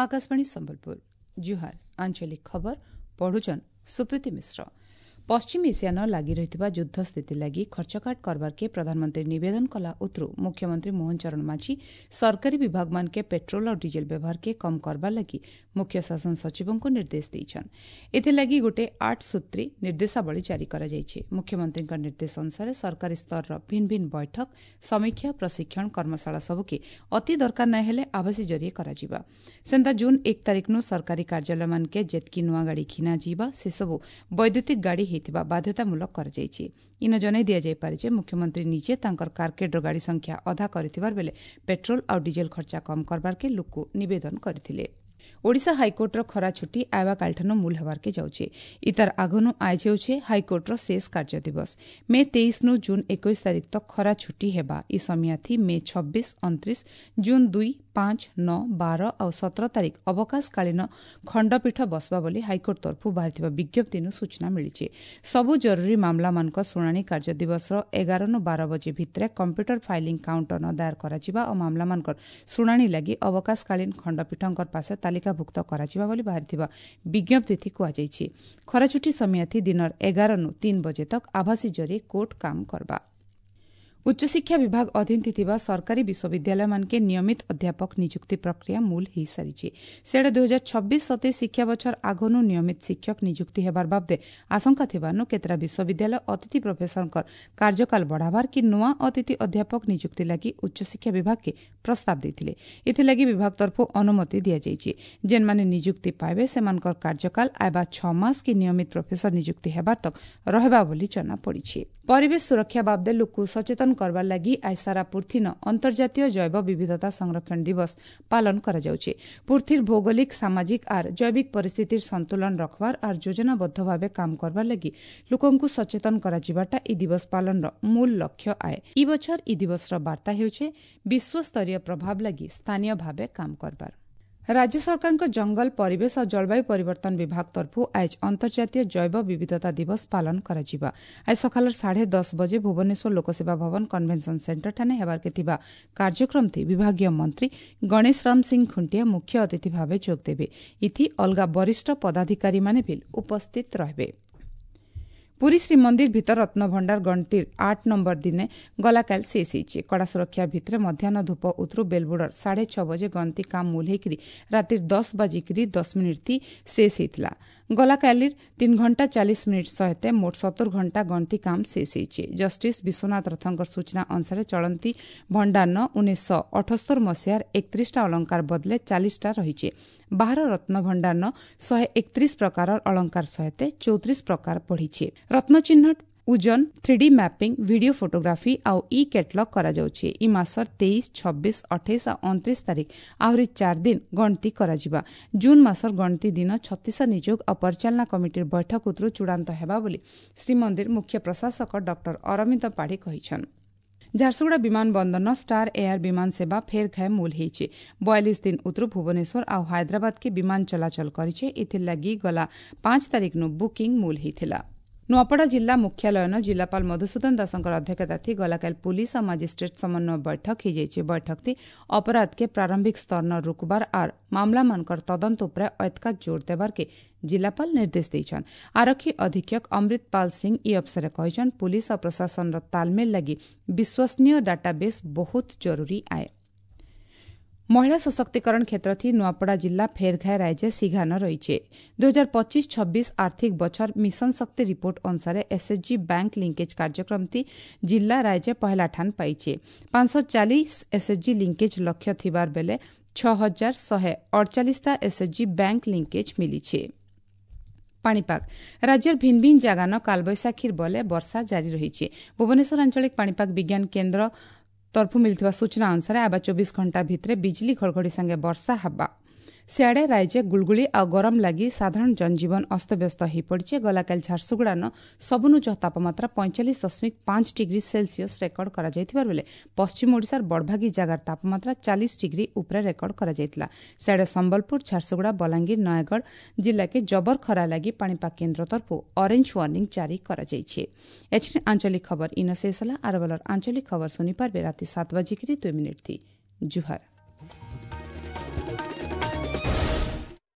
ଆକାଶବାଣୀ ସମ୍ବଲପୁର। ଜୁହାର। ଆଞ୍ଚଳିକ ଖବର ପଢୁଛନ୍ ସୁପ୍ରୀତି ମିଶ୍ର। ପଶ୍ଚିମ ଏସିଆନ ଲାଗି ରହିଥିବା ଯୁଦ୍ଧ ସ୍ଥିତି ଲାଗି ଖର୍ଚ୍ଚକାଟ କରବାର୍କେ ପ୍ରଧାନମନ୍ତ୍ରୀ ନିବେଦନ କଲା ଉତ୍ରୁ ମୁଖ୍ୟମନ୍ତ୍ରୀ ମୋହନ ଚରଣ ମାଝୀ ସରକାରୀ ବିଭାଗମାନକେ ପେଟ୍ରୋଲ ଆଉ ଡିଜେଲ ବ୍ୟବହାରକେ କମ୍ କରବାର୍ ଲାଗି ମୁଖ୍ୟ ଶାସନ ସଚିବଙ୍କୁ ନିର୍ଦ୍ଦେଶ ଦେଇଛନ୍। ଏଥିଲାଗି ଗୋଟେ 8 ସୂତ୍ରୀ ନିର୍ଦ୍ଦେଶାବଳୀ ଜାରି କରାଯାଇଛି। ମୁଖ୍ୟମନ୍ତ୍ରୀଙ୍କ ନିର୍ଦ୍ଦେଶ ଅନୁସାରେ ସରକାରୀ ସ୍ତରର ଭିନ୍ନ ଭିନ୍ନ ବୈଠକ, ସମୀକ୍ଷା, ପ୍ରଶିକ୍ଷଣ, କର୍ମଶାଳା ସବୁକେ ଅତି ଦରକାର ନାଇଁ ହେଲେ ଆଭାସୀ ଜରିଏ କରାଯିବା। ସେନ୍ତା ଜୁନ୍ 1 ତାରିଖନୁ ସରକାରୀ କାର୍ଯ୍ୟାଳୟମାନକେ ଯେତ୍କି ନୂଆ ଗାଡ଼ି ଘିନାଯିବା, ସେସବୁ ବୈଦ୍ୟୁତିକ ଗାଡ଼ି ହେଇଥିବା ବାଧ୍ୟତାମୂଳକ କରାଯାଇଛି। ଇନ ଜଣାଇ ଦିଆଯାଇପାରେ ଯେ ମୁଖ୍ୟମନ୍ତ୍ରୀ ନିଜେ ତାଙ୍କର କାରକେଡ୍ର ଗାଡ଼ି ସଂଖ୍ୟା ଅଧା କରିଥିବାର ବେଲେ ପେଟ୍ରୋଲ ଆଉ ଡିଜେଲ ଖର୍ଚ୍ଚା କମ୍ କରବାର୍କେ ଲୋକକୁ ନିବେଦନ କରିଥିଲେ। ଓଡ଼ିଶା ହାଇକୋର୍ଟର ଖରା ଛୁଟି ଆଇବା କାଲିଠାନୁ ମୂଲ ହେବାର୍କେ ଯାଉଛେ। ଇତାର ଆଗନୁ ଆଇଜ ହେଉଛେ ହାଇକୋର୍ଟର ଶେଷ କାର୍ଯ୍ୟ ଦିବସ। ମେ 23 ନୁ ଜୁନ୍ 21 ତାରିଖ ତକ୍ ଖରା ଛୁଟି ହେବା। ଇ ସମିଆଥି ମେ 26, 29, ଜୁନ୍ 2, 5, 9, 12 ଆଉ 17 ତାରିଖ ଅବକାଶକାଳୀନ ଖଣ୍ଡପୀଠ ବସବା ବୋଲି ହାଇକୋର୍ଟ ତରଫରୁ ବାହାରିଥିବା ବିଜ୍ଞପ୍ତିନୁ ସୂଚନା ମିଳିଛି। ସବୁ ଜରୁରୀ ମାମଲାମାନଙ୍କ ଶୁଣାଣି କାର୍ଯ୍ୟ ଦିବସର 11 ନୁ 12 ବଜେ ଭିତରେ କମ୍ପ୍ୟୁଟର ଫାଇଲିଂ କାଉଣ୍ଟର ଦାୟର କରାଯିବା ଓ ମାମଲାମାନଙ୍କର ଶୁଣାଣି ଲାଗି ଅବକାଶକାଳୀନ ଖଣ୍ଡପୀଠଙ୍କର ପାଶେ ତାଲିକାଭୁକ୍ତ କରାଯିବା ବୋଲି ବାହାରିଥିବା ବିଜ୍ଞପ୍ତିଥି କୁହାଯାଇଛି। ଖରାଛୁଟି ସମିଆଥି ଦିନର 11 ନୁ 3 ବଜେ ତକ୍ ଆଭାସୀ ଜରିଏ କୋର୍ଟ କାମ କରବା। ଉଚ୍ଚଶିକ୍ଷା ବିଭାଗ ଅଧୀନ ଥିବା ସରକାରୀ ବିଶ୍ୱବିଦ୍ୟାଳୟମାନକେ ନିୟମିତ ଅଧ୍ୟାପକ ନିଯୁକ୍ତି ପ୍ରକ୍ରିୟା ମୂଲ ହୋଇସାରିଛି। ସିଆଡ଼େ 2026-27 ଶିକ୍ଷା ବଛର ଆଗନୁ ନିୟମିତ ଶିକ୍ଷକ ନିଯୁକ୍ତି ହେବାର ବାବଦେ ଆଶଙ୍କା ଥିବାନୁ କେତେଟା ବିଶ୍ୱବିଦ୍ୟାଳୟ ଅତିଥି ପ୍ରଫେସରଙ୍କର କାର୍ଯ୍ୟକାଳ ବଢ଼ାବାର କି ନୂଆ ଅତିଥି ଅଧ୍ୟାପକ ନିଯୁକ୍ତି ଲାଗି ଉଚ୍ଚଶିକ୍ଷା ବିଭାଗକେ ପ୍ରସ୍ତାବ ଦେଇଥିଲେ। ଏଥିଲାଗି ବିଭାଗ ତରଫରୁ ଅନୁମତି ଦିଆଯାଇଛି। ଯେନ୍ମାନେ ନିଯୁକ୍ତି ପାଇବେ, ସେମାନଙ୍କର କାର୍ଯ୍ୟକାଳ ଆଇବା 6 ମାସ କି ନିୟମିତ ପ୍ରଫେସର ନିଯୁକ୍ତି ହେବାର ତକ୍ ରହିବା ବୋଲି ଜଣାପଡ଼ିଛି। ପରିବେଶ ସୁରକ୍ଷା ବାବଦେ ଲୋକକୁ ସଚେତନ କରବାର ଲାଗି ଆজ ସାରା ପୃଥିନ ଅନ୍ତର୍ଜାତୀୟ ଜୈବ ବିବିଧତା ସଂରକ୍ଷଣ ଦିବସ ପାଳନ କରାଯାଉଛି। ପୃଥିର ଭୌଗୋଳିକ, ସାମାଜିକ ଆର୍ ଜୈବିକ ପରିସ୍ଥିତିର ସନ୍ତୁଳନ ରଖବାର ଆର୍ ଯୋଜନାବଦ୍ଧ ଭାବେ କାମ କରବାର ଲାଗି ଲୋକଙ୍କୁ ସଚେତନ କରାଯିବାଟା ଇ ଦିବସ ପାଳନର ମୂଳ ଲକ୍ଷ୍ୟ ଆଏ। ଇ ବଛର ଇ ଦିବସର ବାର୍ତ୍ତା ହେଉଛି ବିଶ୍ୱସ୍ତରୀୟ ପ୍ରଭାବ ଲାଗି ସ୍ଥାନୀୟ ଭାବେ କାମ କରବାର। ରାଜ୍ୟ ସରକାରଙ୍କ ଜଙ୍ଗଲ, ପରିବେଶ ଆଉ ଜଳବାୟୁ ପରିବର୍ତ୍ତନ ବିଭାଗ ତରଫରୁ ଆଜ ଅନ୍ତର୍ଜାତୀୟ ଜୈବ ବିବିଧତା ଦିବସ ପାଳନ କରାଯିବା। ଆଜ ସକାଳ 10:30 ବଜେ ଭୁବନେଶ୍ୱର ଲୋକସେବା ଭବନ କନଭେନସନ ସେଣ୍ଟରଠାନେ ହେବାର୍କେ ଥିବା କାର୍ଯ୍ୟକ୍ରମଥି ବିଭାଗୀୟ ମନ୍ତ୍ରୀ ଗଣେଶ ରାମ ସିଂ ଖୁଣ୍ଟିଆ ମୁଖ୍ୟ ଅତିଥି ଭାବେ ଯୋଗଦେବେ। ଇଥି ଅଲଗା ବରିଷ୍ଠ ପଦାଧିକାରୀମାନେ ବି ଉପସ୍ଥିତ ରହିବେ। ପୁରୀ ଶ୍ରୀମନ୍ଦିର ଭିତର ରତ୍ନଭଣ୍ଡାର ଗଣତିର 8 ନମ୍ବର ଦିନେ ଗଲାକାଲି ଶେଷ ହେଇଛି। କଡ଼ା ସୁରକ୍ଷା ଭିତରେ ମଧ୍ୟାହ୍ନ ଧୂପ ଉତରୁ ବେଲବୁଡ଼ର 6:30 ବଜେ ଗଣତି କାମ ମୂଲ ହେଇକରି ରାତିର 10 ବାଜିକିରି 10 ମିନିଟ୍ ଶେଷ ହେଇଥିଲା। ଗଲାକାଲିର 3 ଘଣ୍ଟା 40 ମିନିଟ୍ ସହିତ ମୋଟ 70 ଘଣ୍ଟା ଗଣତି କାମ ଶେଷ ହେଇଛି। ଜଷ୍ଟିସ୍ ବିଶ୍ୱନାଥ ରଥଙ୍କର ସୂଚନା ଅନୁସାରେ ଚଳନ୍ତି ଭଣ୍ଡାରନ 1978 ମସିହାର 31ଟା ଅଳଙ୍କାର ବଦଲେ 40ଟା ରହିଛି। ବାହାର ରତ୍ନଭଣ୍ଡାରନ 131 ପ୍ରକାରର ଅଳଙ୍କାର ସହିତ 34 ପ୍ରକାର ବଢ଼ିଛି। ରତ୍ନ ଚିହ୍ନଟ, ଓଜନ, 3D mapping, video photography ଆଉ ଇ କ୍ୟାଟଲଗ କରାଯାଉଛି। ଇ ମାସର 23, 26, 28 ଆଉ 29 ତାରିଖ ଆହୁରି 4 ଦିନ ଗଣତି କରାଯିବା। ଜୁନ୍ ମାସର ଗଣତି ଦିନ ଛତିଶା ନିଯୋଗ ଆଉ ପରିଚାଳନା କମିଟିର ବୈଠକ ଉତରୁ ଚୂଡ଼ାନ୍ତ ହେବା ବୋଲି ଶ୍ରୀମନ୍ଦିର ମୁଖ୍ୟ ପ୍ରଶାସକ ଡକ୍ଟର ଅରବିନ୍ଦ ପାଢ଼ୀ କହିଛନ୍ତି। ଝାରସୁଗୁଡ଼ା ବିମାନ ବନ୍ଦରନ ଷ୍ଟାର ଏୟାର ବିମାନ ସେବା ଫେର୍ ଘାଏ ମୂଲ ହେଇଛି। 42 ଦିନ ଉତରୁ ଭୁବନେଶ୍ୱର ଆଉ ହାଇଦ୍ରାବାଦକେ ବିମାନ ଚଳାଚଳ କରିছে। ଏଥିର୍ଲାଗି ଗଲା 5 ତାରିଖନୁ ବୁକିଂ ମୂଲ ହେଇଥିଲା। ନୂଆପଡ଼ା ଜିଲ୍ଲା ମୁଖ୍ୟାଳୟନ ଜିଲ୍ଲାପାଳ ମଧୁସୂଦନ ଦାସଙ୍କର ଅଧ୍ୟକ୍ଷତାଥି ଗଲାକାଲି ପୁଲିସ ଆଉ ମାଜିଷ୍ଟ୍ରେଟ୍ ସମନ୍ୱୟ ବୈଠକ ହେଇଯାଇଛି। ବୈଠକଥି ଅପରାଧକେ ପ୍ରାରମ୍ଭିକ ସ୍ତରନ ରୋକବାର ଆର୍ ମାମଲାମାନଙ୍କର ତଦନ୍ତ ଉପରେ ଅଏତକା ଜୋର ଦେବାର୍କେ ଜିଲ୍ଲାପାଳ ନିର୍ଦ୍ଦେଶ ଦେଇଛନ୍। ଆରକ୍ଷୀ ଅଧୀକ୍ଷକ ଅମୃତପାଲ ସିଂ ଇ ଅବସରରେ କହିଛନ୍, ପୁଲିସ ଆଉ ପ୍ରଶାସନର ତାଲମେଲ ଲାଗି ବିଶ୍ୱସନୀୟ ଡାଟାବେସ୍ ବହୁତ ଜରୁରୀ ଆଏ। ମହିଳା ସଶକ୍ତିକରଣ କ୍ଷେତ୍ରଥି ନୂଆପଡ଼ା ଜିଲ୍ଲା ଫେରଘାଏ ରାଜ୍ୟ ସିଘାନ ରହିছে। 2025-26 ଆର୍ଥିକ ବଛର ମିଶନ ଶକ୍ତି ରିପୋର୍ଟ ଅନୁସାରେ ଏସ୍ଏଚ୍ଜି ବ୍ୟାଙ୍କ ଲିଙ୍କେଜ୍ କାର୍ଯ୍ୟକ୍ରମଥି ଜିଲ୍ଲା ରାଜ୍ୟ ପହେଲା ଠାନ ପାଇছে। 540 ଏସ୍ଏଚ୍ଜି ଲିଙ୍କେଜ୍ ଲକ୍ଷ୍ୟ ଥିବାର ବେଲେ 6148ଟା ଏସ୍ଏଚ୍ଜି ବ୍ୟାଙ୍କ ଲିଙ୍କେଜ୍ ମିଳିছে। ପାଣିପାଗ। ରାଜ୍ୟର ଭିନ୍ନ ଭିନ୍ନ ଜାଗାନ କାଲବୈଶାଖୀର ବଲେ ବର୍ଷା ଜାରି ରହିଛି। ଭୁବନେଶ୍ୱର ଆଞ୍ଚଳିକ ପାଣିପାଗ ବିଜ୍ଞାନ କେନ୍ଦ୍ର ତରଫରୁ ମିଳିଥିବା ସୂଚନା ଅନୁସାରେ ଆବା 24 ଘଣ୍ଟା ଭିତରେ ବିଜୁଳି ଘଡ଼ଘଡ଼ି ସାଙ୍ଗେ ବର୍ଷା ହେବା। ସିଆଡ଼େ ରାଜ୍ୟ ଗୁଳୁଗୁଳି ଆଉ ଗରମ ଲାଗି ସାଧାରଣ ଜନଜୀବନ ଅସ୍ତବ୍ୟସ୍ତ ହୋଇପଡ଼ିଛି। ଗଲାକାଲି ଝାରସୁଗୁଡ଼ାନ ସବୁନୁ ଚହ ତାପମାତ୍ରା 45.5 ଡିଗ୍ରୀ ସେଲସିୟସ୍ ରେକର୍ଡ କରାଯାଇଥିବା ବେଳେ ପଶ୍ଚିମ ଓଡ଼ିଶାର ବଡ଼ଭାଗୀ ଜାଗାର ତାପମାତ୍ରା 40 ଡିଗ୍ରୀ ଉପରେ ରେକର୍ଡ କରାଯାଇଥିଲା। ସିଆଡ଼େ ସମ୍ବଲପୁର, ଝାରସୁଗୁଡ଼ା, ବଲାଙ୍ଗୀର, ନୟାଗଡ଼ ଜିଲ୍ଲାକେ ଜବର ଖରା ଲାଗି ପାଣିପାଗ କେନ୍ଦ୍ର ତରଫରୁ ଅରେଞ୍ଜ ୱାର୍ଣ୍ଣିଂ ଜାରି କରାଯାଇଛି। ଏଛିନି ଆଞ୍ଚଳିକ ଖବର ଇନ ଶେଷ ହେଲା। ଆରବଲର ଆଞ୍ଚଳିକ ଖବର ଶୁଣିପାରିବେ ରାତି 7 ବାଜିକିରି 2 ମିନିଟ୍। ଜୁହାର।